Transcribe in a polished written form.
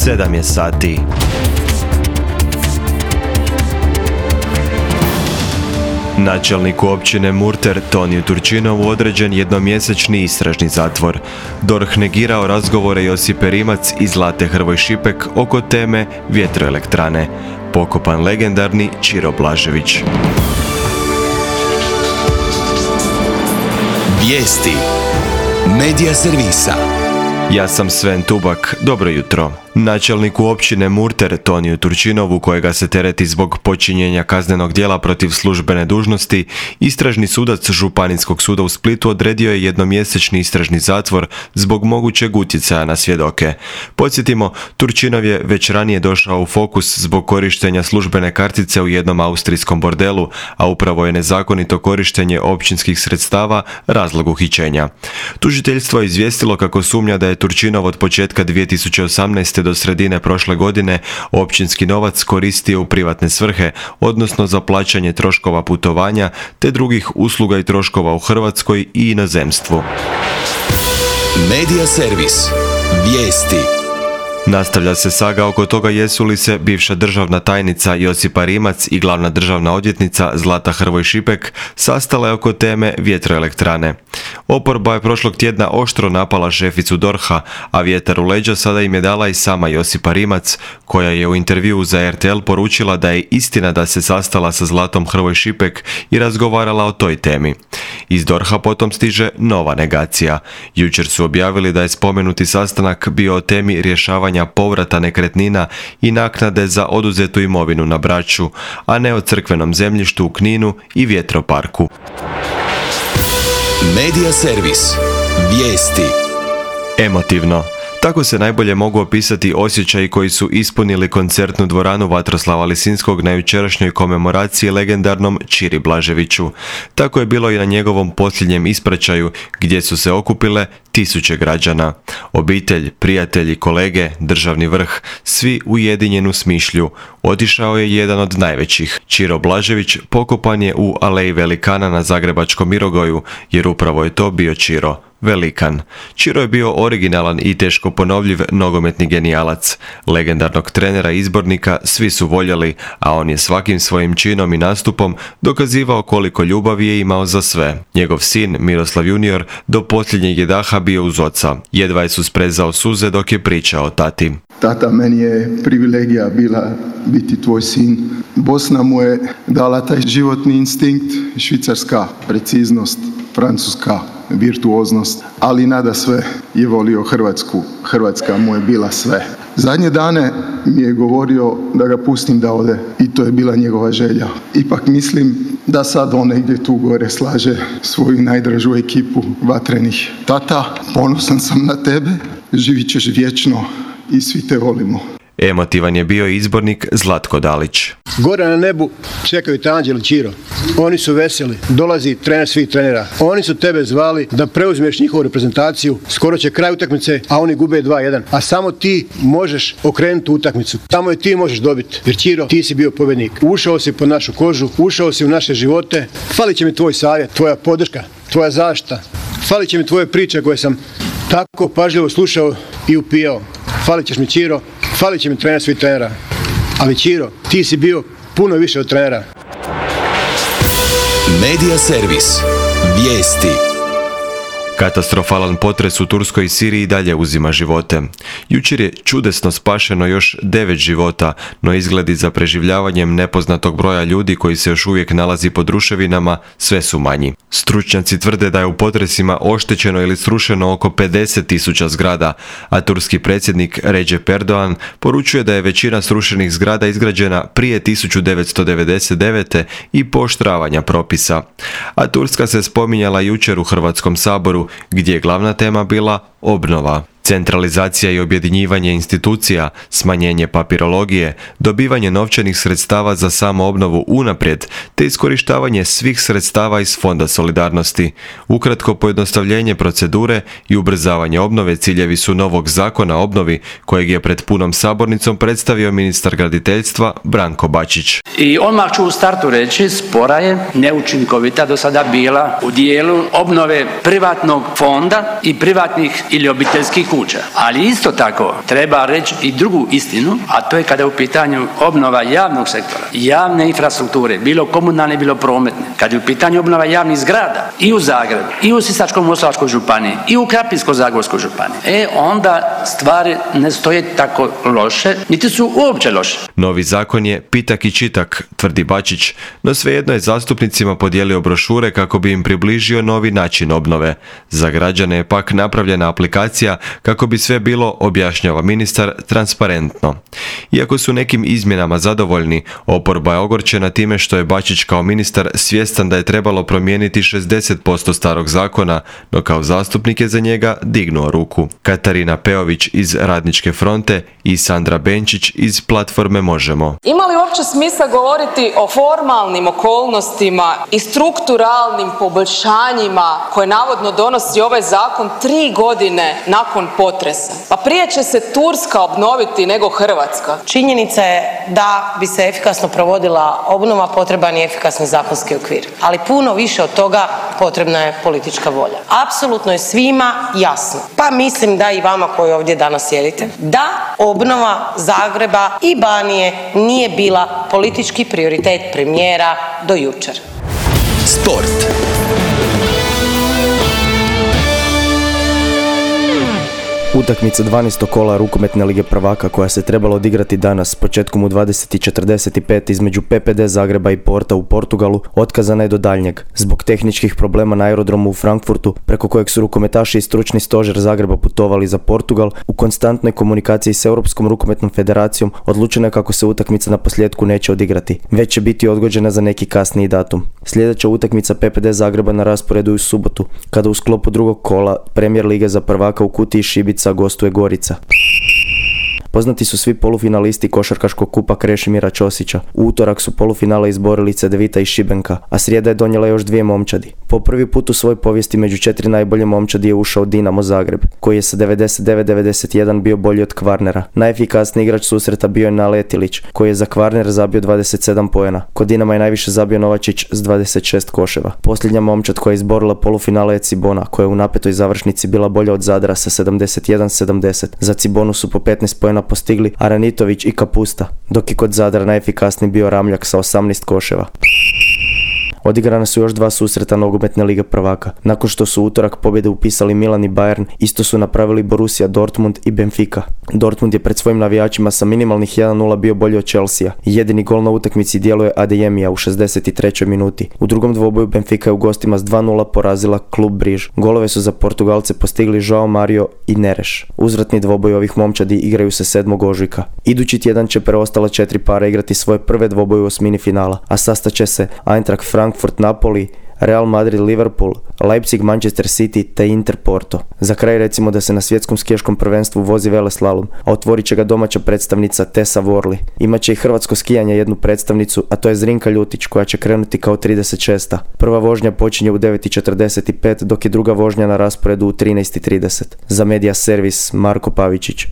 7 je sati. Načelniku općine Murter Toniju Turčinovu određen jednomjesečni istražni zatvor. DORH negirao razgovore Josipe Rimac i Zlate Hrvoj Šipek oko teme vjetroelektrane. Pokopan legendarni Ćiro Blažević. Vijesti Medija servisa. Ja sam Sven Tubak, dobro jutro. Načelniku općine Murter Toniju Turčinovu, kojega se tereti zbog počinjenja kaznenog djela protiv službene dužnosti, istražni sudac Županijskog suda u Splitu odredio je jednomjesečni istražni zatvor zbog mogućeg utjecaja na svjedoke. Podsjetimo, Turčinov je već ranije došao u fokus zbog korištenja službene kartice u jednom austrijskom bordelu, a upravo je nezakonito korištenje općinskih sredstava razlog uhićenja. Tužiteljstvo je izvijestilo kako sumnja da je Turčinov od početka 2018. do sredine prošle godine općinski novac koristio u privatne svrhe, odnosno za plaćanje troškova putovanja te drugih usluga i troškova u Hrvatskoj i inozemstvu. Medija servis. Vijesti. Nastavlja se saga oko toga jesu li se bivša državna tajnica Josipa Rimac i glavna državna odvjetnica Zlata Hrvoj Šipek sastale oko teme vjetroelektrane. Oporba je prošlog tjedna oštro napala šeficu DORH-a, a vjetar u leđa sada im je dala i sama Josipa Rimac, koja je u intervjuu za RTL poručila da je istina da se sastala sa Zlatom Hrvoj Šipek i razgovarala o toj temi. Iz DORH-a potom stiže nova negacija. Jučer su objavili da je spomenuti sastanak bio o temi rješavanja povrata nekretnina i naknade za oduzetu imovinu na Braču, a ne o crkvenom zemljištu u Kninu i vjetroparku. Medija servis. Vijesti. Emotivno. Tako se najbolje mogu opisati osjećaji koji su ispunili koncertnu dvoranu Vatroslava Lisinskog na jučerašnjoj komemoraciji legendarnom Ćiri Blaževiću. Tako je bilo i na njegovom posljednjem ispraćaju, gdje su se okupile tisuće građana. Obitelj, prijatelji, kolege, državni vrh, svi ujedinjenu smišlju. Otišao je jedan od najvećih. Ćiro Blažević pokopan je u Aleji velikana na zagrebačkom Mirogoju, jer upravo je to bio Ćiro. Velikan. Ćiro je bio originalan i teško ponovljiv nogometni genijalac. Legendarnog trenera i izbornika svi su voljeli, a on je svakim svojim činom i nastupom dokazivao koliko ljubavi je imao za sve. Njegov sin, Miroslav junior, do posljednjeg je daha bio uz oca. Jedva je susprezao suze dok je pričao o tati. Tata, meni je privilegija bila biti tvoj sin. Bosna mu je dala taj životni instinkt, švicarska preciznost, francuska virtuoznost, ali nada sve je volio Hrvatsku. Hrvatska mu je bila sve. Zadnje dane mi je govorio da ga pustim da ode i to je bila njegova želja. Ipak mislim da sad on negdje tu gore slaže svoju najdražu ekipu vatrenih. Tata, ponosan sam na tebe, živit ćeš vječno i svi te volimo. Emotivan je bio izbornik Zlatko Dalić. Gore na nebu čekaju te anđeli, Ćiro. Oni su veseli. Dolazi trener svih trenera. Oni su tebe zvali da preuzmeš njihovu reprezentaciju. Skoro će kraj utakmice, a oni gube 2-1. A samo ti možeš okrenuti utakmicu. Samo je ti možeš dobiti. Jer Ćiro, ti si bio pobjednik. Ušao si pod našu kožu, ušao si u naše živote. Falit će mi tvoj savjet, tvoja podrška, tvoja zaštita. Falit će mi tvoje priče koje sam tako pažljivo slušao i upijao. Falit ćeš mi, Ćiro. Falit će mi trener svih trenera. Ali Ćiro, ti si bio puno više od trenera. Medija servis. Vijesti. Katastrofalan potres u Turskoj i Siriji dalje uzima živote. Jučer je čudesno spašeno još 9 života, no izgledi za preživljavanjem nepoznatog broja ljudi koji se još uvijek nalazi pod ruševinama sve su manji. Stručnjaci tvrde da je u potresima oštećeno ili srušeno oko 50.000 zgrada, a turski predsjednik Recep Erdogan poručuje da je većina srušenih zgrada izgrađena prije 1999. i pooštravanja propisa. A Turska se spominjala jučer u Hrvatskom saboru, gdje je glavna tema bila obnova. Centralizacija i objedinjivanje institucija, smanjenje papirologije, dobivanje novčanih sredstava za samoobnovu unaprijed, te iskorištavanje svih sredstava iz Fonda solidarnosti. Ukratko, pojednostavljenje procedure i ubrzavanje obnove ciljevi su novog zakona o obnovi, kojeg je pred punom sabornicom predstavio ministar graditeljstva Branko Bačić. I odmah ću u startu reći, spora je, neučinkovita do sada bila u dijelu obnove privatnog fonda i privatnih ili obiteljskih kuća. Ali isto tako treba reći i drugu istinu, a to je kada je u pitanju obnova javnog sektora, javne infrastrukture, bilo komunalne, bilo prometne. Kad je u pitanju obnova javnih zgrada i u Zagrebu, i u Sisačko-moslavačkoj županiji, i u Krapinsko-zagorskoj županiji, onda stvari ne stoje tako loše, niti su uopće loše. Novi zakon je pitak i čitak, tvrdi Bačić, no svejedno je zastupnicima podijelio brošure kako bi im približio novi način obnove. Za građane je pak napravljena aplikacija kako bi sve bilo, objašnjava ministar, transparentno. Iako su nekim izmjenama zadovoljni, oporba je ogorčena time što je Bačić kao ministar svjestan da je trebalo promijeniti 60% starog zakona, no kao zastupnik je za njega dignuo ruku. Katarina Peović iz Radničke fronte i Sandra Benčić iz platforme Možemo. Ima li uopće smisla govoriti o formalnim okolnostima i strukturalnim poboljšanjima koje navodno donosi ovaj zakon 3 godine nakon potresa? Pa prije će se Turska obnoviti nego Hrvatska. Činjenica je da bi se efikasno provodila obnova potreban je efikasni zakonski okvir. Ali puno više od toga potrebna je politička volja. Apsolutno je svima jasno, pa mislim da i vama koji ovdje danas sjedite, da obnova Zagreba i Banije nije bila politički prioritet premijera do jučer. Sport. Utakmica 12. kola rukometne lige prvaka koja se trebala odigrati danas početkom u 20:45 između PPD Zagreba i Porta u Portugalu otkazana je do daljnjeg zbog tehničkih problema na aerodromu u Frankfurtu preko kojeg su rukometaši i stručni stožer Zagreba putovali za Portugal. U konstantnoj komunikaciji s Europskom rukometnom federacijom odlučeno je kako se utakmica na posljedku neće odigrati, već će biti odgođena za neki kasniji datum. Sljedeća utakmica PPD Zagreba na rasporedu je u subotu, kada u sklopu drugog kola Premier lige za prvaka u Kutiji Šibica gostuje Gorica. Poznati su svi polufinalisti košarkaškog kupa Krešimira Ćosića. U utorak su polufinale izborili Cedevita i Šibenka, a srijeda je donijela još 2 momčadi. Po prvi put u svojoj povijesti među 4 najbolje momčadi je ušao Dinamo Zagreb, koji je sa 99-91 bio bolji od Kvarnera. Najefikasniji igrač susreta bio je Naletilić, koji je za Kvarner zabio 27 poena. Kod Dinama je najviše zabio Novačić s 26 koševa. Posljednja momčad koja je izborila polufinale je Cibona, koja je u napetoj završnici bila bolja od Zadra sa 71-70. Za Cibonu su po 15 poena postigli Aranitović i Kapusta, dok je kod Zadra najefikasniji bio Ramljak sa 18 koševa. Odigrana su još 2 susreta nogometne lige prvaka. Nakon što su utorak pobjede upisali Milan i Bayern, isto su napravili Borussia Dortmund i Benfica. Dortmund je pred svojim navijačima sa minimalnih 1:0 bio bolji od Chelsea. Jedini gol na utakmici djeluje Adeyemija u 63. minuti. U drugom dvoboju Benfica je u gostima s 2:0 porazila klub Briž. Golove su za Portugalce postigli Joao Mario i Neres. Uzvratni dvoboj ovih momčadi igraju se 7. ožujka. Idući tjedan će preostala 4 para igrati svoje prve dvoboje u osmini finala, a sastaće se Eintracht Frankfurt Napoli, Real Madrid Liverpool, Leipzig Manchester City te Inter Porto. Za kraj recimo da se na svjetskom skijaškom prvenstvu vozi veleslalom, a otvorit će ga domaća predstavnica Tessa Worley. Imaće i hrvatsko skijanje jednu predstavnicu, a to je Zrinka Ljutić koja će krenuti kao 36. Prva vožnja počinje u 9:45 dok je druga vožnja na rasporedu u 13:30. Za Media Servis Marko Pavičić.